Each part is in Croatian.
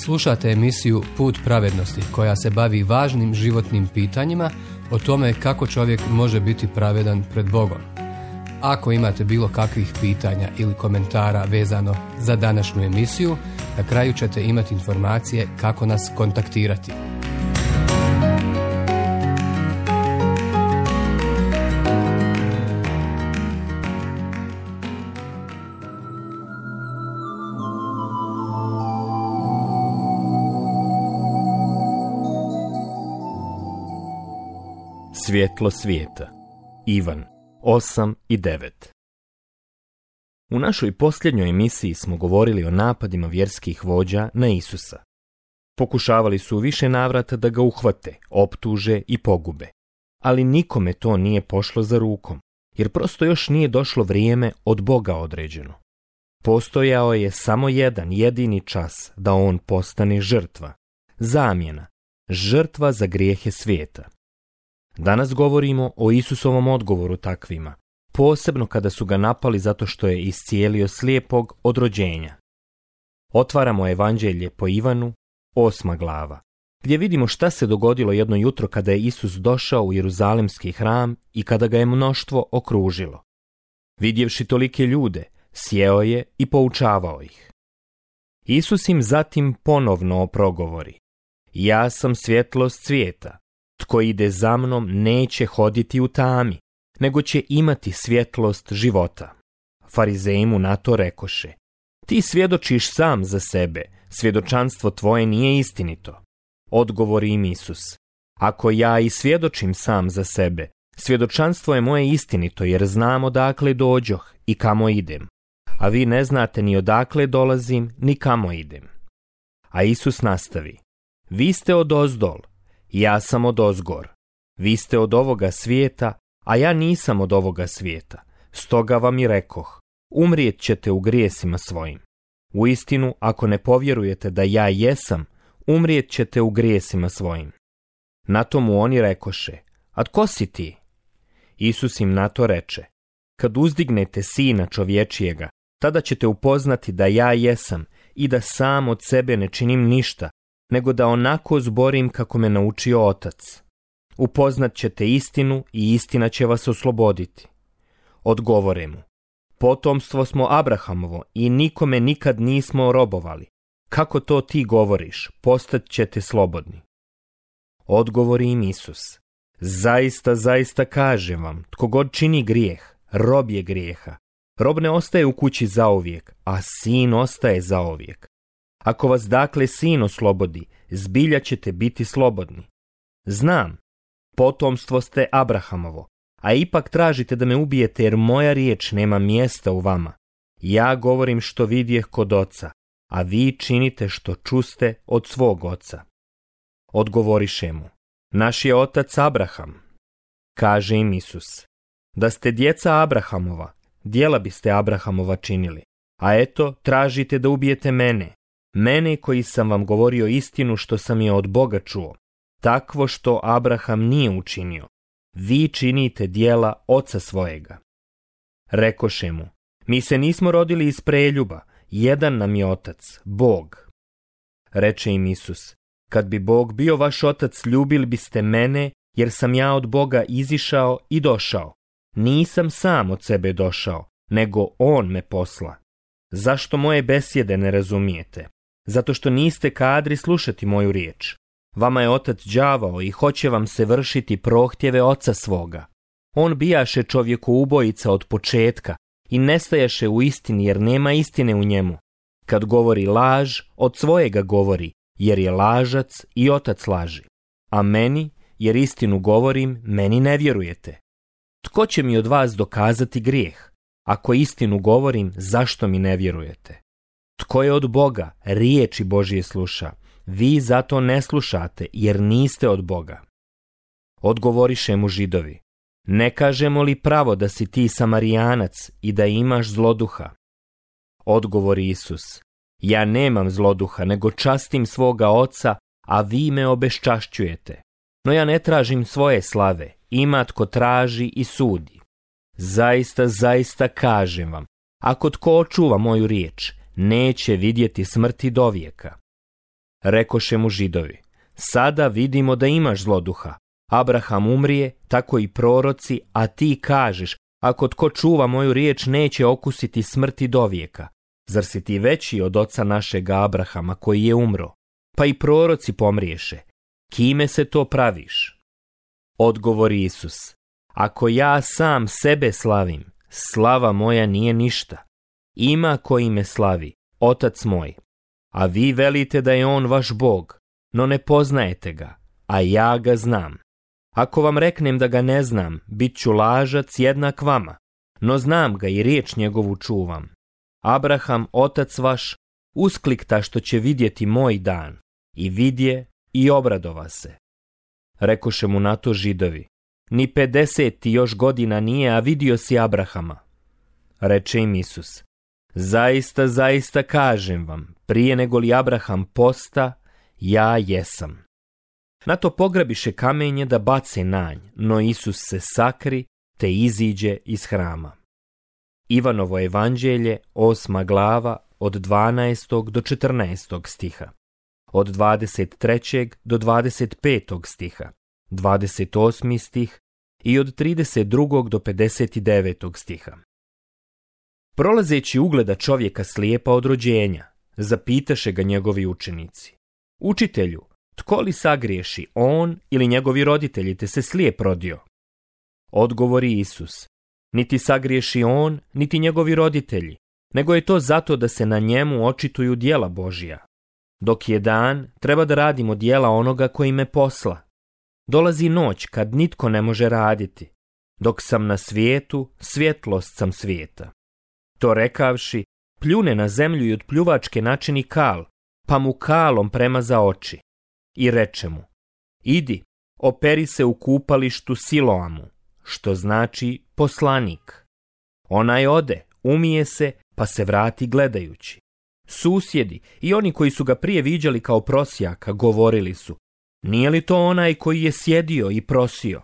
Slušate emisiju Put pravednosti koja se bavi važnim životnim pitanjima o tome kako čovjek može biti pravedan pred Bogom. Ako imate bilo kakvih pitanja ili komentara vezano za današnju emisiju, na kraju ćete imati informacije kako nas kontaktirati. Svjetlo svijeta. Ivan 8 i 9. U našoj posljednjoj emisiji smo govorili o napadima vjerskih vođa na Isusa. Pokušavali su u više navrata da ga uhvate, optuže i pogube. Ali nikome to nije pošlo za rukom, jer prosto još nije došlo vrijeme od Boga određeno. Postojao je samo jedan jedini čas da on postane žrtva, zamjena, žrtva za grijehe svijeta. Danas govorimo o Isusovom odgovoru takvima, posebno kada su ga napali zato što je iscijelio slijepog od rođenja. Otvaramo Evanđelje po Ivanu, 8. glava, gdje vidimo šta se dogodilo jedno jutro kada je Isus došao u Jeruzalemski hram i kada ga je mnoštvo okružilo. Vidjevši tolike ljude, sjeo je i poučavao ih. Isus im zatim ponovno progovori: Ja sam svjetlost svijeta. Tko ide za mnom neće hoditi u tami, nego će imati svjetlost života. Farizeji mu na to rekoše: Ti svjedočiš sam za sebe, svjedočanstvo tvoje nije istinito. Odgovori im Isus: Ako ja i svjedočim sam za sebe, svjedočanstvo je moje istinito, jer znam odakle dođoh i kamo idem. A vi ne znate ni odakle dolazim, ni kamo idem. A Isus nastavi: Vi ste odozdol, ja sam odozgor. Vi ste od ovoga svijeta, a ja nisam od ovoga svijeta. Stoga vam i rekoh, umrijet ćete u grijesima svojim. Uistinu, ako ne povjerujete da ja jesam, umrijet ćete u grijesima svojim. Na to mu oni rekoše: A tko si ti? Isus im na to reče: Kad uzdignete Sina čovječijega, tada ćete upoznati da ja jesam i da sam od sebe ne činim ništa, nego da onako zborim kako me naučio Otac. Upoznat ćete istinu i istina će vas osloboditi. Odgovore mu: Potomstvo smo Abrahamovo i nikome nikad nismo robovali. Kako to ti govoriš, postat ćete slobodni? Odgovori im Isus: Zaista, zaista kažem vam, tko god čini grijeh, rob je grijeha. Rob ne ostaje u kući zauvijek, a sin ostaje zauvijek. Ako vas dakle sin oslobodi, zbilja ćete biti slobodni. Znam, potomstvo ste Abrahamovo, a ipak tražite da me ubijete jer moja riječ nema mjesta u vama. Ja govorim što vidjeh kod oca, a vi činite što čuste od svog oca. Odgovoriše mu: Naš je otac Abraham. Kaže im Isus: Da ste djeca Abrahamova, djela biste Abrahamova činili. A eto, tražite da ubijete mene koji sam vam govorio istinu što sam je od Boga čuo, takvo što Abraham nije učinio. Vi činite djela oca svojega. Rekoše mu: Mi se nismo rodili iz preljuba, jedan nam je otac, Bog. Reče im Isus: Kad bi Bog bio vaš otac, ljubili biste mene, jer sam ja od Boga izišao i došao. Nisam sam od sebe došao, nego on me posla. Zašto moje besjede ne razumijete? Zato što niste kadri slušati moju riječ. Vama je otac đavao i hoće vam se vršiti prohtjeve oca svoga. On bijaše čovjeku ubojica od početka i nestajaše u istini jer nema istine u njemu. Kad govori laž, od svojega govori, jer je lažac i otac laži. A meni, jer istinu govorim, meni ne vjerujete. Tko će mi od vas dokazati grijeh? Ako istinu govorim, zašto mi ne vjerujete? Tko je od Boga, riječi Božije sluša, vi zato ne slušate, jer niste od Boga. Odgovoriše mu Židovi: Ne kažemo li pravo da si ti Samarijanac i da imaš zloduha? Odgovori Isus: Ja nemam zloduha, nego častim svoga oca, a vi me obeščašćujete. No ja ne tražim svoje slave, ima tko traži i sudi. Zaista, zaista kažem vam, ako tko očuva moju riječ, neće vidjeti smrti dovijeka. Rekoše mu Židovi: sada vidimo da imaš zloduha. Abraham umrije, tako i proroci, a ti kažeš: ako tko čuva moju riječ, neće okusiti smrti dovijeka. Zar si ti veći od oca našega Abrahama koji je umro? Pa i proroci pomriješe. Kime se to praviš? Odgovori Isus: ako ja sam sebe slavim, slava moja nije ništa. Ima koji me slavi, Otac moj. A vi velite da je on vaš Bog, no ne poznajete ga, a ja ga znam. Ako vam reknem da ga ne znam, bit ću lažac jednak vama, no znam ga i riječ njegovu čuvam. Abraham, otac vaš, usklikta što će vidjeti moj dan, i vidje i obradova se. Rekoše mu na to Židovi: ni 50 ti još godina nije, a vidio si Abrahama. Reče im Isus: zaista, zaista kažem vam, prije nego li Abraham posta, ja jesam. Na to pograbiše kamenje da bace nanj, no Isus se sakri te iziđe iz hrama. Ivanovo evanđelje, 8. glava, od 12. do 14. stiha, od 23. do 25. stiha, 28. stih i od 32. do 59. stiha. Prolazeći ugleda čovjeka slijepa od rođenja, zapitaše ga njegovi učenici: učitelju, tko li sagriješi, on ili njegovi roditelji, te se slijep rodio? Odgovori Isus: niti sagriješi on, niti njegovi roditelji, nego je to zato da se na njemu očituju djela Božja. Dok je dan, treba da radimo djela onoga koji me posla. Dolazi noć kad nitko ne može raditi. Dok sam na svijetu, svjetlost sam svijeta. To rekavši, pljune na zemlju i od pljuvačke načini kal, pa mu kalom premaza oči. I reče mu: idi, operi se u kupalištu Siloamu, što znači poslanik. Onaj ode, umije se, pa se vrati gledajući. Susjedi i oni koji su ga prije viđali kao prosjaka govorili su: nije li to onaj koji je sjedio i prosio?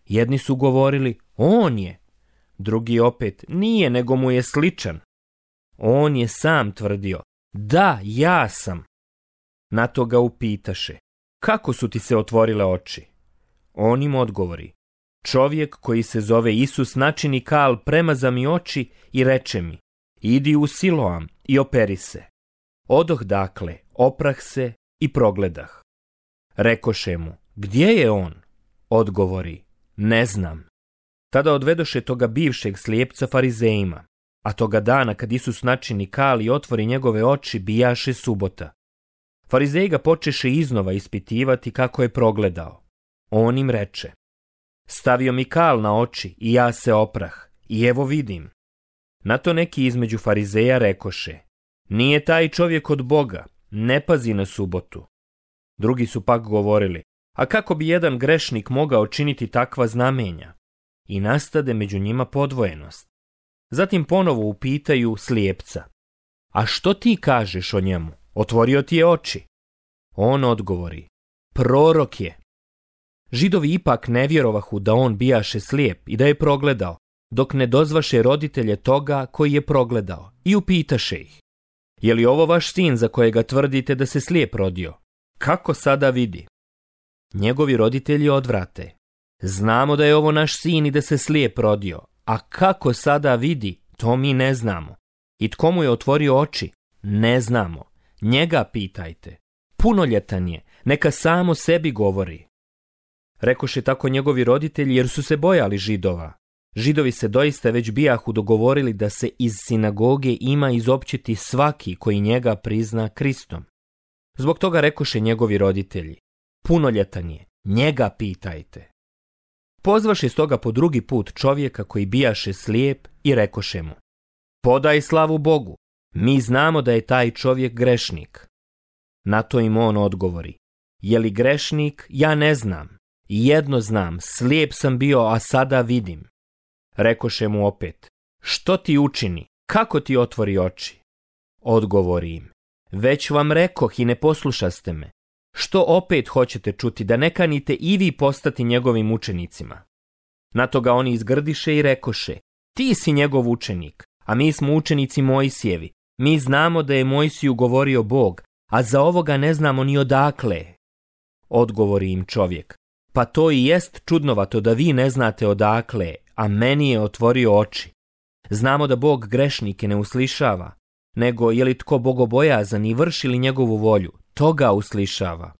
Jedni su govorili: on je. Drugi opet: nije, nego mu je sličan. On je sam tvrdio: da, ja sam. Na to ga upitaše: kako su ti se otvorile oči? On im odgovori: čovjek koji se zove Isus načini kal, premaza mi oči i reče mi: idi u Siloam i operi se. Odoh dakle, oprah se i progledah. Rekoše mu: gdje je on? Odgovori: ne znam. Tada odvedoše toga bivšeg slijepca farizejima, a toga dana kad Isus načini kal i otvori njegove oči, bijaše subota. Farizeji ga počeše iznova ispitivati kako je progledao. On im reče: stavio mi kal na oči i ja se oprah, i evo vidim. Na to neki između farizeja rekoše: nije taj čovjek od Boga, ne pazi na subotu. Drugi su pak govorili: a kako bi jedan grešnik mogao činiti takva znamenja? I nastade među njima podvojenost. Zatim ponovo upitaju slijepca: a što ti kažeš o njemu? Otvorio ti je oči. On odgovori: prorok je. Židovi ipak ne vjerovahu da on bijaše slijep i da je progledao, dok ne dozvaše roditelje toga koji je progledao, i upitaše ih: je li ovo vaš sin za kojega tvrdite da se slijep rodio? Kako sada vidi? Njegovi roditelji odvrate: znamo da je ovo naš sin i da se slijep rodio, a kako sada vidi, to mi ne znamo. I tko mu je otvorio oči? Ne znamo. Njega pitajte. Punoljetan je, neka samo sebi govori. Rekoše tako njegovi roditelji, jer su se bojali Židova. Židovi se doista već bijahu dogovorili da se iz sinagoge ima izopćiti svaki koji njega prizna Kristom. Zbog toga rekoše njegovi roditelji: punoljetan je, njega pitajte. Pozvaše stoga po drugi put čovjeka koji bijaše slijep i rekoše mu: podaj slavu Bogu, mi znamo da je taj čovjek grešnik. Na to im on odgovori: je li grešnik, ja ne znam. Jedno znam, slijep sam bio, a sada vidim. Rekoše mu opet: što ti učini, kako ti otvori oči? Odgovori im: već vam rekoh i ne poslušaste me. Što opet hoćete čuti, da ne kanite i vi postati njegovim učenicima? Na to ga oni izgrdiše i rekoše: ti si njegov učenik, a mi smo učenici Mojsijevi. Mi znamo da je Mojsiju govorio Bog, a za ovoga ne znamo ni odakle. Odgovori im čovjek: pa to i jest čudnovato da vi ne znate odakle, a meni je otvorio oči. Znamo da Bog grešnike ne uslišava, nego je li tko bogobojazan i vrši li njegovu volju, toga uslišava.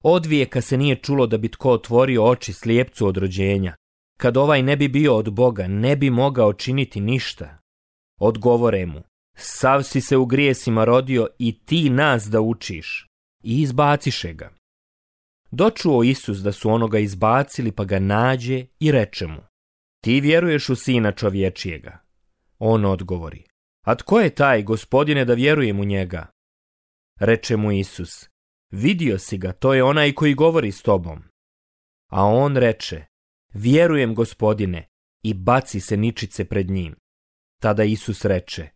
Odvijeka se nije čulo da bi tko otvorio oči slijepcu od rođenja. Kad ovaj ne bi bio od Boga, ne bi mogao činiti ništa. Odgovore mu: sav si se u grijesima rodio i ti nas da učiš. I izbaciše ga. Dočuo Isus da su onoga izbacili, pa ga nađe i reče mu: ti vjeruješ u Sina čovječijega? On odgovori: a tko je taj, Gospodine, da vjerujem u njega? Reče mu Isus: vidio si ga, to je onaj koji govori s tobom. A on reče: vjerujem, Gospodine, i baci se ničice pred njim. Tada Isus reče: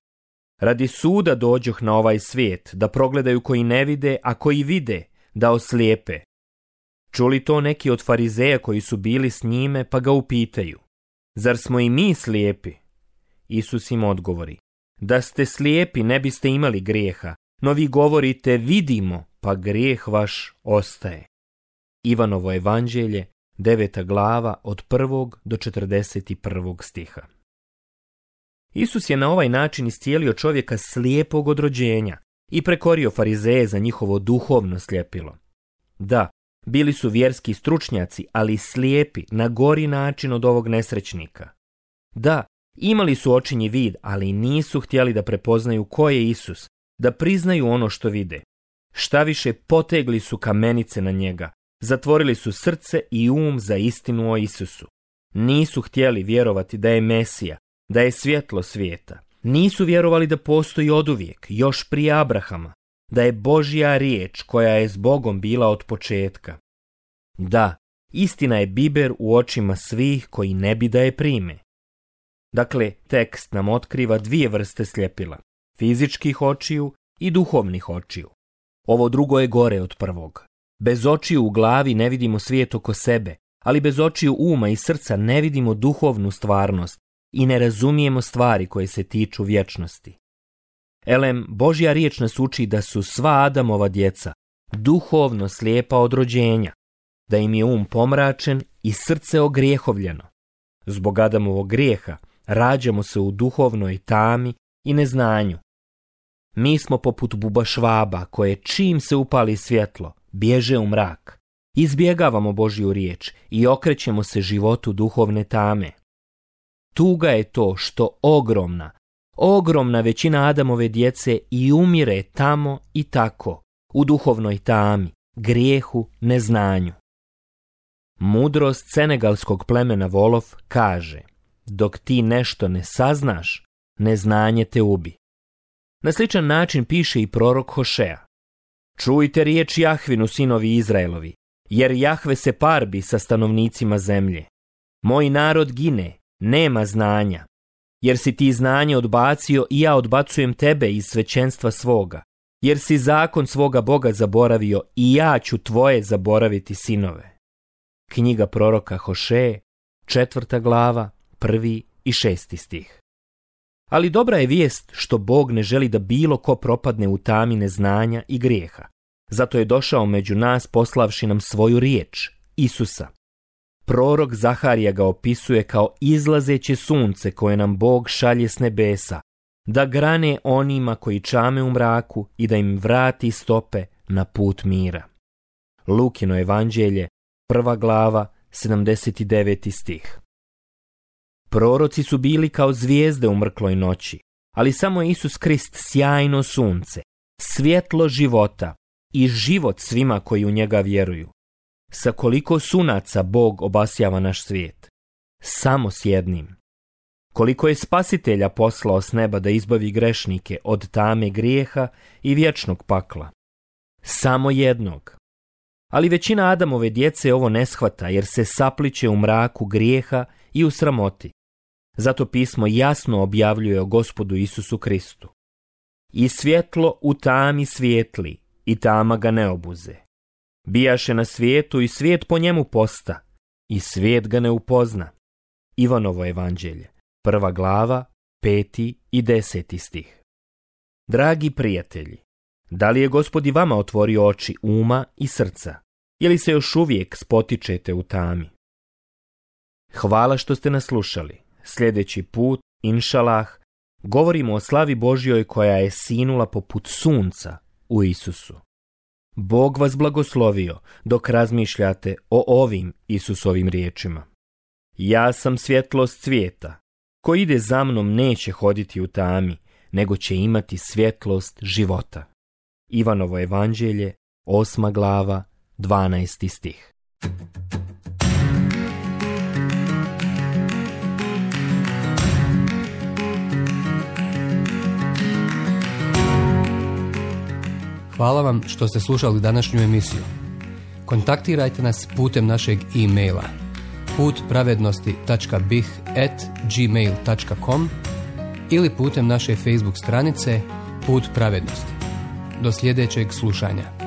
radi suda dođoh na ovaj svijet, da progledaju koji ne vide, a koji vide, da oslijepe. Čuli to neki od farizeja koji su bili s njime, pa ga upitaju: zar smo i mi slijepi? Isus im odgovori: da ste slijepi ne biste imali grijeha, no vi govorite vidimo, pa grijeh vaš ostaje. Ivanovo evanđelje, 9. glava, od 1. do 41. stiha. Isus je na ovaj način iscijelio čovjeka slijepog od rođenja i prekorio farizeje za njihovo duhovno sljepilo. Da, bili su vjerski stručnjaci, ali slijepi na gori način od ovog nesrećnika. Da, imali su očinji vid, ali nisu htjeli da prepoznaju ko je Isus, da priznaju ono što vide. Štaviše, potegli su kamenice na njega, zatvorili su srce i za istinu o Isusu. Nisu htjeli vjerovati da je Mesija, da je svjetlo svijeta. Nisu vjerovali da postoji oduvijek, još prije Abrahama, da je Božja riječ koja je s Bogom bila od početka. Da, istina je biber u očima svih koji ne bi da je prime. Dakle, tekst nam otkriva dvije vrste sljepila: fizičkih očiju i duhovnih očiju. Ovo drugo je gore od prvog. Bez očiju u glavi ne vidimo svijet oko sebe, ali bez očiju uma i srca ne vidimo duhovnu stvarnost i ne razumijemo stvari koje se tiču vječnosti. Božja riječ nas uči da su sva Adamova djeca duhovno slijepa od rođenja, da im je pomračen i srce ogrijehovljeno. Zbog Adamovog grijeha rađamo se u duhovnoj tami i neznanju. Mi smo poput bubašvaba koje čim se upali svjetlo, bježe u mrak. Izbjegavamo Božju riječ i okrećemo se životu duhovne tame. Tuga je to što ogromna većina Adamove djece i umire tamo i tako, u duhovnoj tami, grijehu, neznanju. Mudrost senegalskog plemena Wolof kaže: dok ti nešto ne saznaš, neznanje te ubi. Na sličan način piše i prorok Hošea: čujte riječ Jahvinu, sinovi Izraelovi, jer Jahve se parbi sa stanovnicima zemlje. Moj narod gine, nema znanja, jer si ti znanje odbacio i ja odbacujem tebe iz svećenstva svoga, jer si zakon svoga Boga zaboravio i ja ću tvoje zaboraviti sinove. Knjiga proroka Hošeje, 4. glava, 1. i 6. stih. Ali dobra je vijest što Bog ne želi da bilo ko propadne u tami neznanja i grijeha. Zato je došao među nas poslavši nam svoju riječ, Isusa. Prorok Zaharija ga opisuje kao izlazeće sunce koje nam Bog šalje s nebesa, da grane onima koji čame u mraku i da im vrati stope na put mira. Lukino evanđelje, 1. glava, 79. stih. Proroci su bili kao zvijezde u mrkloj noći, ali samo Isus Krist sjajno sunce, svjetlo života i život svima koji u njega vjeruju. Sa koliko sunaca Bog obasjava naš svijet? Samo s jednim. Koliko je Spasitelja poslao s neba da izbavi grešnike od tame grijeha i vječnog pakla? Samo jednog. Ali većina Adamove djece ovo ne shvata jer se sapliće u mraku grijeha i u sramoti. Zato pismo jasno objavljuje o Gospodu Isusu Kristu. I svjetlo u tami svijetli i tama ga ne obuze. Bijaše na svijetu i svijet po njemu posta i svijet ga ne upozna. Ivanovo evanđelje, 1. glava, 5. i 10. stih. Dragi prijatelji, Da li je Gospod i vama otvorio oči uma i srca? Ili se još uvijek spotičete u tami? Hvala što ste nas slušali. Sljedeći put, inšalah, govorimo o slavi Božjoj koja je sinula poput sunca u Isusu. Bog vas blagoslovio dok razmišljate o ovim Isusovim riječima. Ja sam svjetlost svijeta. Ko ide za mnom neće hoditi u tami, nego će imati svjetlost života. Ivanovo evanđelje, 8. glava, 12. stih. Hvala vam što ste slušali današnju emisiju. Kontaktirajte nas putem našeg e-maila putpravednosti.bih@gmail.com ili putem naše Facebook stranice Put pravednosti. Do sljedećeg slušanja.